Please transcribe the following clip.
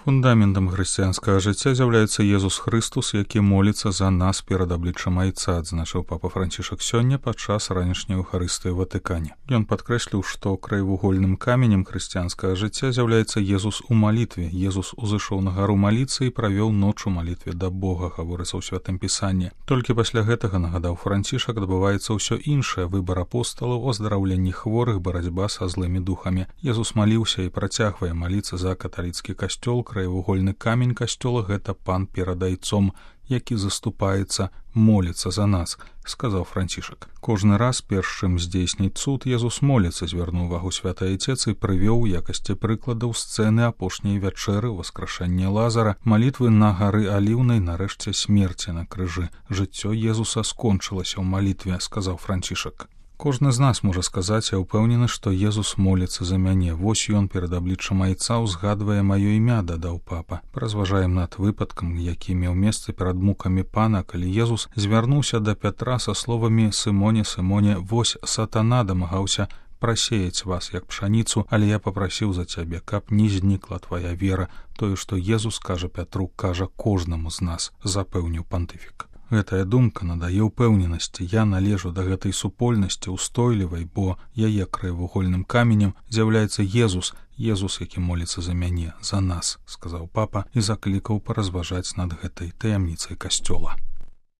Фундаментам хрысціянскага жыцця з'яўляецца Езус Хрыстус, які моліцца за нас перад абліччам Айца, адзначыў папа Францішак сёння падчас ранішняй Еўхарыстыі ў Ватыкане. Ён падкрэсліў, што краевугольным каменем хрысціянскага жыцця з'яўляецца Езус у малітве. Езус узышоў на гару маліцца і правёў ноч у малітве да Бога, гаворыцца ў Святым Пісанні. Толькі пасля гэтага, нагадаў Францішак, адбываецца ўсё іншае: выбар апосталаў, оздараўленне хворых, барацьба са злымі духамі. Езус маліўся і працягвае маліцца за каталіцкі касцёл. Краевугольны камень касцёла — гэта пан перад Айцом, які заступаецца, моліцца за нас, сказаў Францішак. Кожны раз, перш чым здзейсніць цуд, Езус моліцца, звярнуў увагу Святы Айцец і прывёў у якасці прыкладаў сцэны апошняй вячэры, васкрашэння Лазара, малітвы на гары Аліўнай, нарэшце смерці на крыжы. Жыццё Езуса скончылася ў малітве, сказаў Францішак. Кожны з нас можа сказаць: я ўпэўнены, што Езус моліцца за мяне. Вось ён перад абліччам Айца ўзгадвае маё імя, дадаў папа. Паразважаем над выпадкам, які меў месца перад мукамі пана, калі Езус звярнуўся да Пятра са словамі: «Сымоне, Сымоне, вось сатана дамагаўся прасеяць вас, як пшаніцу, але я папрасіў за цябе, каб не знікла твая вера». Тое, што Езус кажа Пятру, кажа кожнаму з нас, запэўніў пантыфік. Гэтая думка надае ўпэўненасці. Я належу да гэтай супольнасці устойлівай, бо яе краевугольным каменем з'яўляецца Езус, Езус, які моліцца за мяне, за нас, сказаў папа і заклікаў паразважаць над гэтай таямніцай касцёла.